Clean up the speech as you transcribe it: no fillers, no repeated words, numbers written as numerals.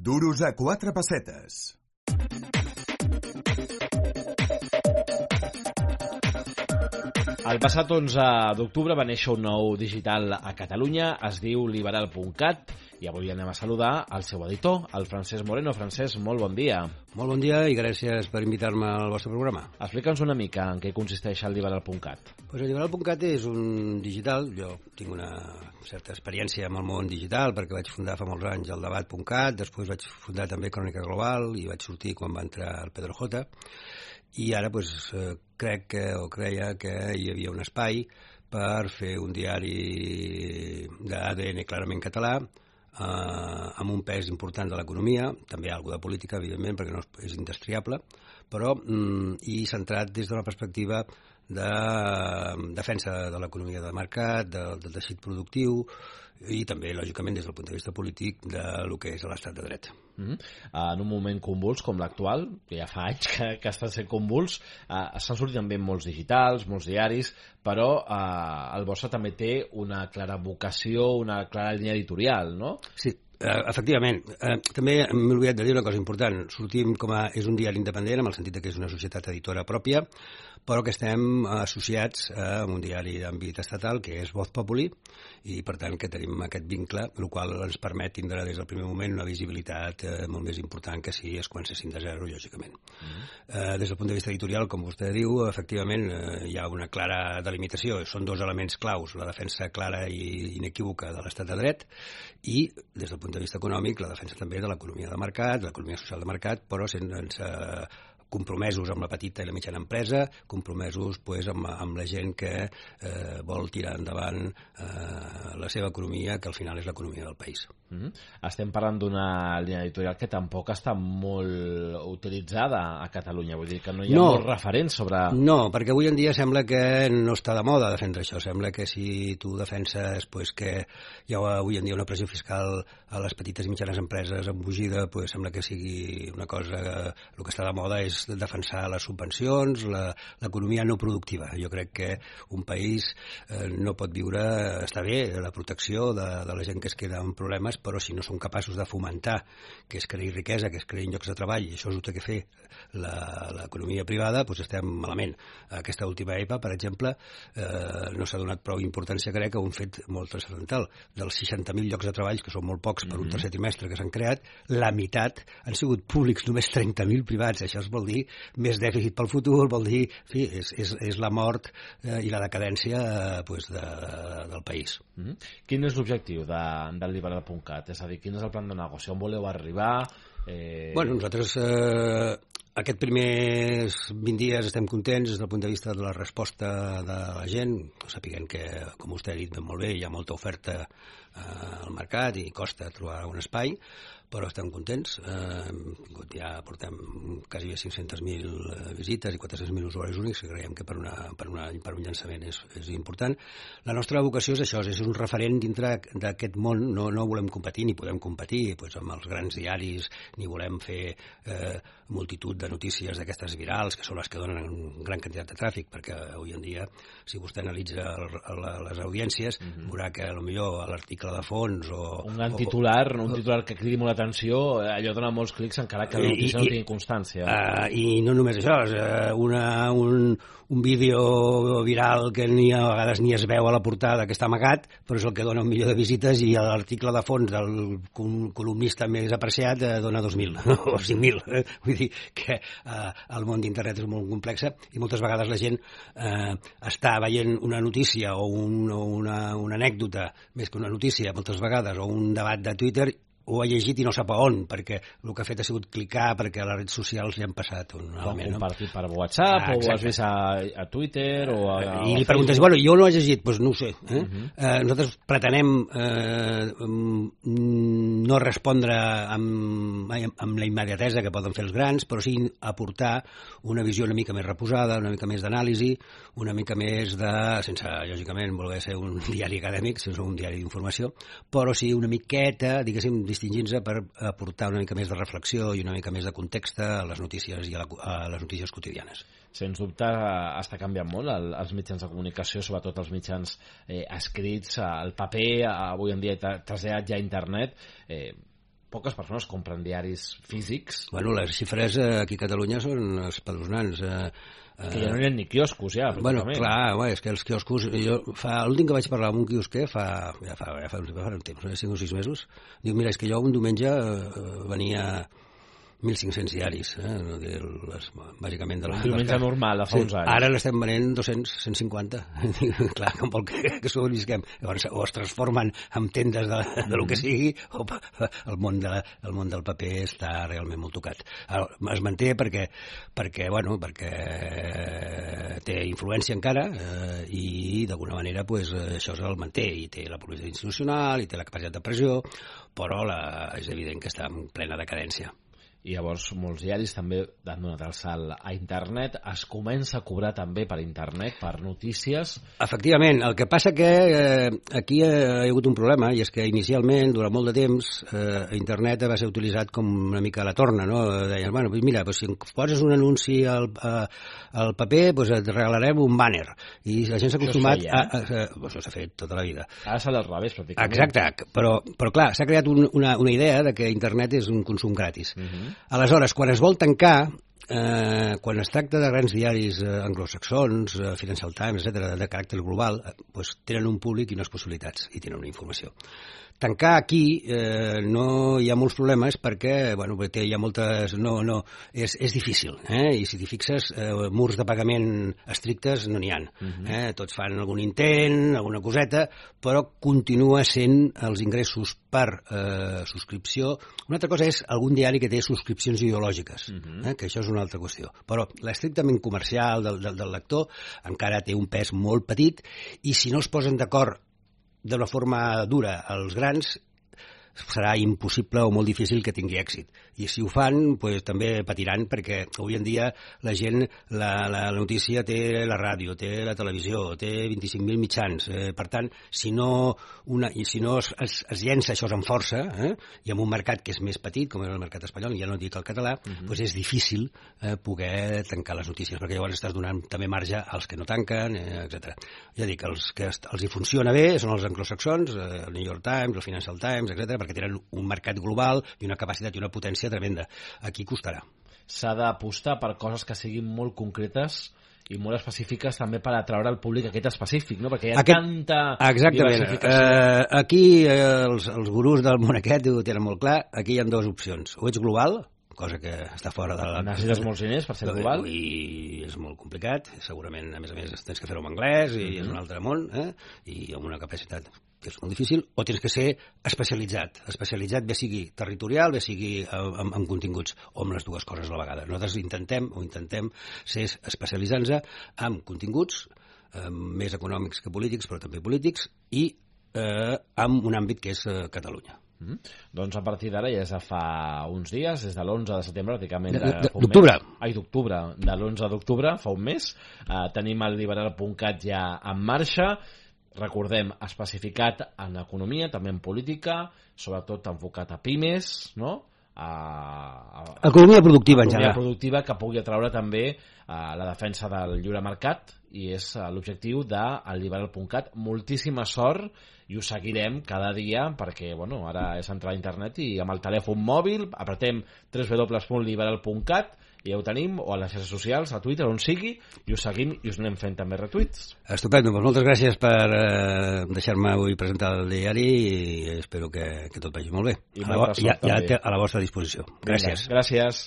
Duros a 4 pessetes. El passat 11 d'octubre va néixer un nou digital a Catalunya, es diu liberal.cat, i avui anem a saludar el seu editor, el Francesc Moreno. Francesc, molt bon dia. Molt bon dia i gràcies per invitar-me al vostre programa. Explica'ns una mica en què consisteix el liberal.cat. Pues el liberal.cat és un digital, jo tinc una certa experiència amb el món digital perquè vaig fundar fa molts anys el debat.cat, després vaig fundar també Crònica Global i vaig sortir quan va entrar el Pedro J. I ara creia que hi havia un espai per fer un diari d'ADN clarament català, amb un pes important de l'economia, també alguna de política, evidentment, perquè no és indestriable, però i centrat des d'una perspectiva de defensa de l'economia de mercat, del teixit productiu i també, lògicament, des del punt de vista polític del que és l'estat de dret. En un moment convuls com l'actual, que ja fa anys que està sent convuls, estan sortint també molts digitals, molts diaris, però el vostre també té una clara vocació, una clara línia editorial, no? Sí, efectivament. També m'he oblidat de dir una cosa important. Sortim és un diari independent, amb el sentit que és una societat editora pròpia, però que estem associats a un diari d'àmbit estatal, que és Voz Populi, i per tant que tenim aquest vincle, el qual ens permet tindre des del primer moment una visibilitat molt més important que si es comencessin de zero, lògicament. Des del punt de vista editorial, com vostè diu, efectivament hi ha una clara delimitació. Són dos elements claus, la defensa clara i inequívoca de l'estat de dret i, des del punt de vista econòmic, la defensa també de l'economia de mercat, l'economia social de mercat, però sense compromesos amb la petita i la mitjana empresa, compromesos amb la gent que vol tirar endavant la seva economia, que al final és l'economia del país. Estem parlant d'una línia editorial que tampoc està molt utilitzada a Catalunya, vull dir que no hi ha molts referents sobre... No, perquè avui en dia sembla que no està de moda defendre això, sembla que si tu defenses que hi ha avui en dia una pressió fiscal a les petites i mitjanes empreses embogida, sembla que sigui una cosa... El que està de moda és defensar les subvencions, l'economia no productiva. Jo crec que un país no pot viure... Està bé la protecció de la gent que es queda amb problemes, però si no som capaços de fomentar que es creï riquesa, que es creïn llocs de treball, i això és el que fer l'economia privada, doncs estem malament. Aquesta última EPA, per exemple, no s'ha donat prou importància, crec, a un fet molt transcendental. Dels 60.000 llocs de treball, que són molt pocs per un tercer trimestre que s'han creat, la meitat han sigut públics, només 30.000 privats. Això es vol dir més dèficit pel futur, vol dir, en fi, és la mort i la decadència del país. Quin és l'objectiu del liberal.cat? És a dir, quin és el plan de negoci? On voleu arribar? Bueno, nosaltres aquests primers 20 dies estem contents des del punt de vista de la resposta de la gent, sapiguem que, com vostè ha dit molt bé, hi ha molta oferta al mercat i costa trobar un espai, però estem contents. Ja portem quasi 500.000 visites i 400.000 usuaris únics, que creiem que per un llançament és important. La nostra vocació és això, és un referent dintre d'aquest món. No volem competir, ni podem competir amb els grans diaris, ni volem fer multitud de notícies d'aquestes virals, que són les que donen gran quantitat de tràfic, perquè avui en dia, si vostè analitza les audiències, veurà que potser l'article de fons un gran titular, un titular que cridi molt l'atenció, allò dona molts clics encara que la notícia no tingui constància. I no només això, és un vídeo viral que a vegades ni es veu a la portada, que està amagat, però és el que dona 1 milió de visites, i l'article de fons del columnista més apreciat dona 2.000 o 5.000. Vull dir que el món d'internet és molt complex i moltes vegades la gent està veient una notícia o una anècdota, més que una notícia moltes vegades, o un debat de Twitter, ho ha llegit i no sap a on, perquè el que ha fet ha sigut clicar perquè a les redes socials li han passat un element. Compartit per WhatsApp, o ho has vist a Twitter, i li preguntes, bueno, jo no ho he llegit, doncs no ho sé. Nosaltres pretenem no respondre amb la immediatesa que poden fer els grans, però sí aportar una visió una mica més reposada, una mica més d'anàlisi, una mica més sense, lògicament, voler ser un diari acadèmic, sense un diari d'informació, però sí una miqueta, diguéssim, distingint-se per aportar una mica més de reflexió i una mica més de context a les notícies i a les notícies quotidianes. Sens dubte està canviant molt els mitjans de comunicació, sobretot els mitjans escrits, el paper, avui en dia traslladat ja a internet. poques persones compren diaris físics. Bueno, les xifres aquí a Catalunya són espeluznants. Que ja no hi ha ni quioscos, ja, bueno, clar, és que els quioscos... L'últim que vaig parlar amb un quiosquer fa un temps, 5 o 6 mesos, diu, mira, és que jo un diumenge venia 1.500 diaris, bàsicament. Un diumenge normal, fa uns anys. Ara l'estem venent 200, 150. Clar, com vol que sobrevisquem. Llavors, o es transformen en tendes de lo que sigui, o el món del paper està realment molt tocat. Es manté perquè té influència encara i d'alguna manera això el manté, i té la publicitat institucional, i té la capacitat de pressió, però és evident que està en plena decadència. I llavors molts diaris també han donat el salt a internet. Es comença a cobrar també per internet, per notícies. Efectivament, el que passa que aquí hi ha hagut un problema, i és que inicialment, durant molt de temps, internet va ser utilitzat com una mica la torna, no? Deien, bueno, mira, si poses un anunci al paper, et regalarem un banner. I la gent s'ha acostumat això s'ha fet tota la vida. Ara s'ha del revés, pràcticament. Exacte, però clar, s'ha creat una idea de que internet és un consum gratis. Aleshores, quan es vol tancar, quan es tracta de grans diaris anglosaxons, Financial Times, etc., de caràcter global, tenen un públic i unes possibilitats, i tenen una informació. Tancar aquí no hi ha molts problemes perquè hi ha moltes... És difícil, i si t'hi fixes, murs de pagament estrictes no n'hi ha. Tots fan algun intent, alguna coseta, però continua sent els ingressos per subscripció. Una altra cosa és algun diari que té subscripcions ideològiques, que això és una altra qüestió. Però l'estrictament comercial del lector encara té un pes molt petit, i si no es posen d'acord d'una forma dura els grans, serà impossible o molt difícil que tingui èxit. I si ho fan, també patiran, perquè avui en dia la gent, la notícia té la ràdio, té la televisió, té 25.000 mitjans. Per tant, si no es llença això amb força, i en un mercat que és més petit, com és el mercat espanyol, ja no dic el català, és difícil poder tancar les notícies, perquè llavors estàs donant també marge als que no tanquen, etc. Ja dic, els que els hi funciona bé són els anglosaxons, el New York Times, el Financial Times, etc., perquè tenen un mercat global i una capacitat i una potència tremenda. Aquí costarà. S'ha d'apostar per coses que siguin molt concretes i molt específiques també per atraure el públic aquest específic, no? Perquè hi ha tanta diversificació. Aquí els gurús del món aquest ho tenen molt clar. Aquí hi ha dues opcions. O ets global, cosa que està fora de la... Necessites molts diners per ser global. I és molt complicat. Segurament, a més, tens que fer-ho en anglès i és un altre món, i amb una capacitat que és molt difícil, o tens que ser especialitzat. Especialitzat bé sigui territorial, bé sigui en continguts, o amb les dues coses a la vegada. Nosaltres intentem ser especialitzant-nos en continguts més econòmics que polítics, però també polítics, i en un àmbit que és Catalunya. Doncs a partir d'ara, ja és de fa uns dies, des de l'11 de setembre, pràcticament d'octubre. D'octubre, de l'11 d'octubre, fa un mes, tenim el liberal.cat ja en marxa. Recordem, especificat en economia, també en política, sobretot enfocat a pimes, no? Economia productiva, en general. Economia productiva que pugui atraure també la defensa del lliure mercat, i és l'objectiu del liberal.cat. Moltíssima sort, i ho seguirem cada dia, perquè ara és entrar a internet i amb el telèfon mòbil apretem www.liberal.cat i ja ho tenim, o a les xarxes socials, a Twitter, on sigui, i us seguim i us anem fent també retuits. Estupendo, moltes gràcies per deixar-me avui presentar el diari, i espero que tot vagi molt bé. I a la vostra disposició. Gràcies. Gràcies.